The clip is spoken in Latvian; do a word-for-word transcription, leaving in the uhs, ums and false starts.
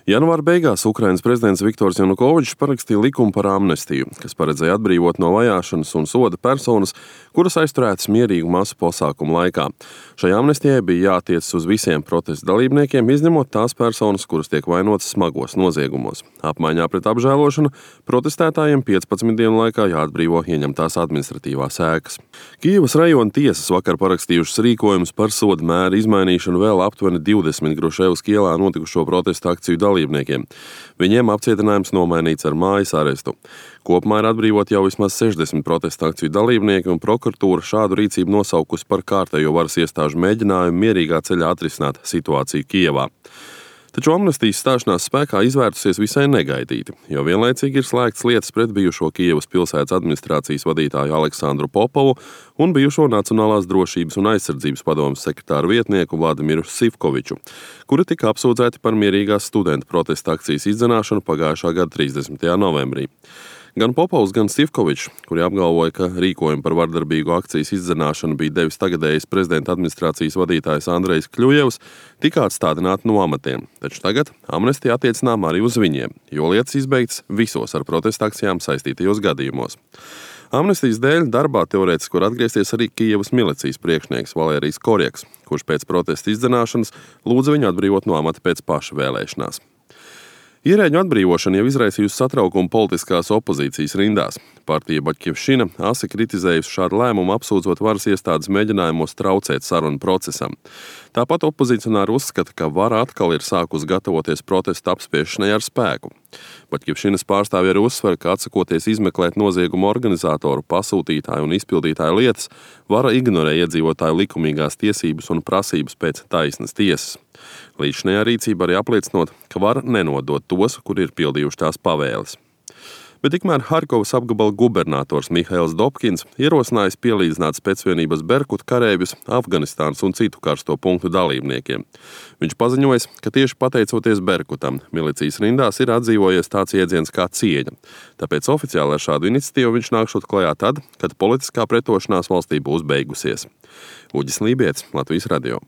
Janvāra beigās Ukrainas prezidents Viktors Janukovičs parakstīja likumu par amnestiju, kas paredzēja atbrīvot no vajāšanas un soda personas, kuras aizturētas mierīgu masu pasākumu laikā. Šai amnestijai bija jātiecas uz visiem protesta dalībniekiem, izņemot tās personas, kuras tiek vainotas smagos noziegumos. Apmaiņā pret apžēlošanu protestētājiem piecpadsmit dienu laikā jāatbrīvo ieņemtās administratīvās ēkas. Kijevas rajona tiesas vakar parakstījušas rīkojumus par soda mēra izmainīšanu vēl aptuveni divdesmit Gruševska ielā notikušo protestu akciju dalībniekiem. Viņiem apcietinājums nomainīts ar mājas arestu. Kopumā ir atbrīvot jau vismaz sešdesmit protesta akciju dalībnieki, un prokuratūra šādu rīcību nosaukusi par kārtējo varas iestāžu mēģinājumu mierīgā ceļā atrisināt situāciju Kijevā. Taču amnestijas stāšanās spēkā izvērtusies visai negaidīti, jo vienlaicīgi ir slēgts lietas pret bijušo Kijevas pilsētas administrācijas vadītāju Aleksandru Popovu un bijušo Nacionālās drošības un aizsardzības padomes sekretāru vietnieku Vladimiru Sivkoviču, kuri tika apsūdzēti par mierīgās studentu protesta akcijas izdzenāšanu pagājušā gada trīsdesmitajā novembrī. Gan Popovs, gan Sivkovičs, kuri apgalvoja, ka rīkojumu par vardarbīgu akcijas izdzenāšanu bija devis tagadējais prezidenta administrācijas vadītājs Andrejs Kļujevs, tika atstādināti no amatiem. Taču tagad amnestija attiecinām arī uz viņiem, jo lietas izbeigtas visos ar protesta akcijām saistītajos gadījumos. Amnestijas dēļ darbā teorētiski var atgriezties arī Kijevas milicijas priekšnieks Valērijs Korjaks, kurš pēc protesta izdzenāšanas lūdza viņu atbrīvot no amata pēc paša vēlēšanās. Ierēģu atbrīvošana jau izraisījusi satraukumu politiskās opozīcijas rindās. Partija Baļķivšina asi kritizējusi šādu lēmumu, apsūdzot varas iestādes mēģinājumos traucēt sarunu procesam. Tāpat opozicionāri uzskata, ka vara atkal ir sākusi gatavoties protesta apspiešanai ar spēku. Baļķivšinas pārstāvji arī uzsver, ka atsakoties izmeklēt noziegumu organizatoru, pasūtītāju un izpildītāju lietas, vara ignorē iedzīvotāju likumīgās tiesības un prasības pēc taisnas tiesas. Līdzinējā rīcība arī apliecinot, ka vara nenodot tos, kuri ir pildījuši tās pavēles. Bet tikmēr Harkovas apgabala gubernators Mihails Dobkins ierosinājis pielīdzināt specvienības Berkut kareivjus Afganistānas un citu karsto punktu dalībniekiem. Viņš paziņojis, ka tieši pateicoties Berkutam, milicijas rindās ir atdzīvojies tāds iedziens kā cieņa. Tāpēc oficiāli ar šādu iniciatīvu viņš nākšot klajā tad, kad politiskā pretošanās valstī būs beigusies. Uģis Lībietis, Latvijas radio.